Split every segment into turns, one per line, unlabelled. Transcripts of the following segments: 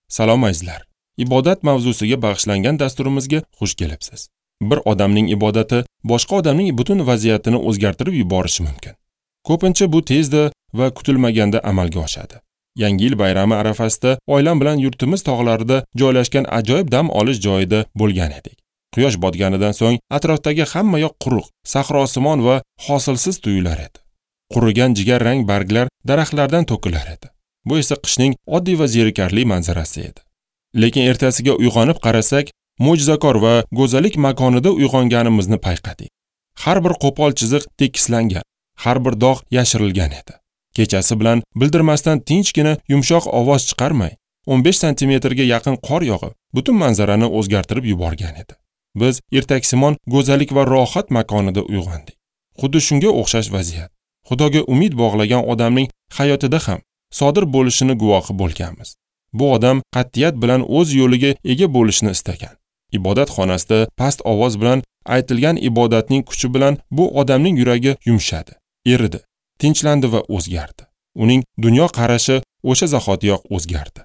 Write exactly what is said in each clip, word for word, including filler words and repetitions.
Salom azizlar. Ibodat mavzusiga bag'ishlangan dasturimizga xush kelibsiz. Bir odamning ibodati boshqa odamning butun vaziyatini o'zgartirib yuborishi mumkin. Ko'pincha bu tezda va kutilmaganda amalga oshadi. Yangi yil bayrami arafasida oilam bilan yurtimiz tog'larida joylashgan ajoyib dam olish joyida bo'lgan edik. Quyosh botganidan so'ng atrofdagi hamma yoq quruq, sahrosimon va hosilsiz tuyular edi. Qurigan jigarrang barglar daraxtlardan to'kilar edi. Bu esa qishning oddiy va zerikarli manzarasi edi. Lekin ertasiga uyg'onib qarasak, mo'jizakor va go'zallik makonida uyg'onganimizni payqadik. Har bir qo'pol chiziq tekislangan, har bir dog' yashirilgan edi. Kechasi bilan bildirmasdan tinchgina yumshoq ovoz chiqarmay, o'n besh santimetrga yaqin qor yog'ib, butun manzarani o'zgartirib yuborgan edi. Biz ertaksimon go'zallik va rohat makonida uyg'ondik. Xuddi shunga o'xshash vaziyat Xudoga umid bog'lagan odamning hayotida ham sodir bo'lishini guvohi bo'lganmiz. Bu odam qat'iyat bilan o'z yo'liga ega bo'lishni istagan. Ibodat xonasida past ovoz bilan aytilgan ibodatning kuchi bilan bu odamning yuragi yumshadi, eridi, tinchlandi va o'zgardi. Uning dunyo qarashi o'sha zahotiyoq o'zgardi.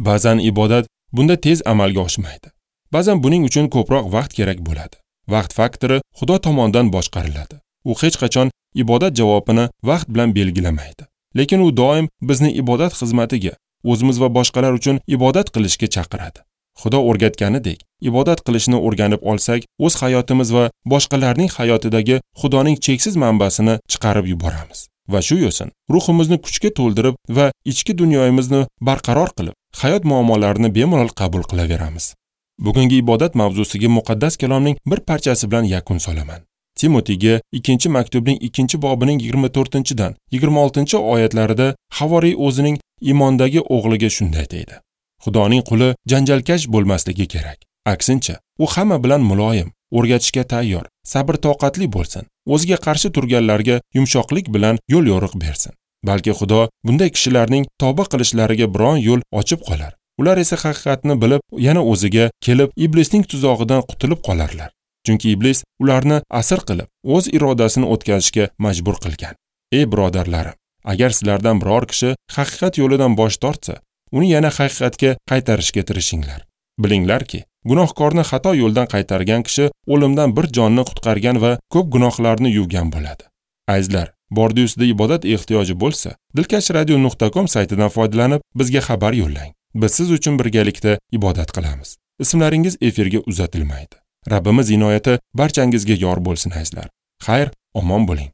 Ba'zan ibodat bunda tez amalga oshmaydi. Ba'zan buning uchun ko'proq vaqt kerak bo'ladi. Vaqt faktori Xudo tomonidan boshqariladi. U hech qachon ibodat javobini vaqt bilan belgilamaydi. Lekin u doim bizni ibodat xizmatiga, o'zimiz va boshqalar uchun ibodat qilishga chaqiradi. Xudo o'rgatganidek, ibodat qilishni o'rganib olsak, o'z hayotimiz va boshqalarning hayotidagi Xudoning cheksiz manbasini chiqarib yuboramiz. Va shu yo'sin ruhimizni kuchga to'ldirib va ichki dunyomizni barqaror qilib, hayot muammolarini bemalol qabul qilaveramiz. Bugungi ibodat mavzusiga muqaddas kalomning bir parchasi bilan yakun solaman. Timotiga ikkinchi maktubning ikkinchi bobining yigirma to'rtinchidan yigirma oltinchi oyatlarida havoriy o'zining iymondagi o'g'liga shunday deydi: Xudoning quli janjalkash bo'lmasligi kerak. Aksincha, u hamma bilan muloyim, o'rgatishga tayyor, sabr-toqatli bo'lsin. O'ziga qarshi turganlarga yumshoqlik bilan yo'l yo'riq bersin. Balki Xudo bunday kishilarning tavba qilishlariga biron yo'l ochib qolar. Ular esa haqiqatni bilib, yana o'ziga kelib, iblisning tuzog'idan qutulib qolarlar. Chunki iblis ularni asir qilib, o'z irodasini o'tkazishga majbur qilgan. Ey birodarlarim, agar sizlardan biror kishi haqiqat yo'lidan bosh tortsa, uni yana haqiqatga qaytarishga tirishinglar. Bilinglarki, gunohkorni xato yo'ldan qaytargan kishi o'limdan bir jonni qutqargan va ko'p gunohlarni yuvgan bo'ladi. Azizlar, bordi-ustida ibodat ehtiyoji bo'lsa, dilkash radio nuqta com saytidan foydalanib bizga xabar yo'llang. Biz siz uchun birgalikda ibodat qilamiz. Ismlaringiz efirga uzatilmaydi. Rabbimiz inoyati barchangizga yor bo'lsin azizlar. Xayr, omon bo'ling.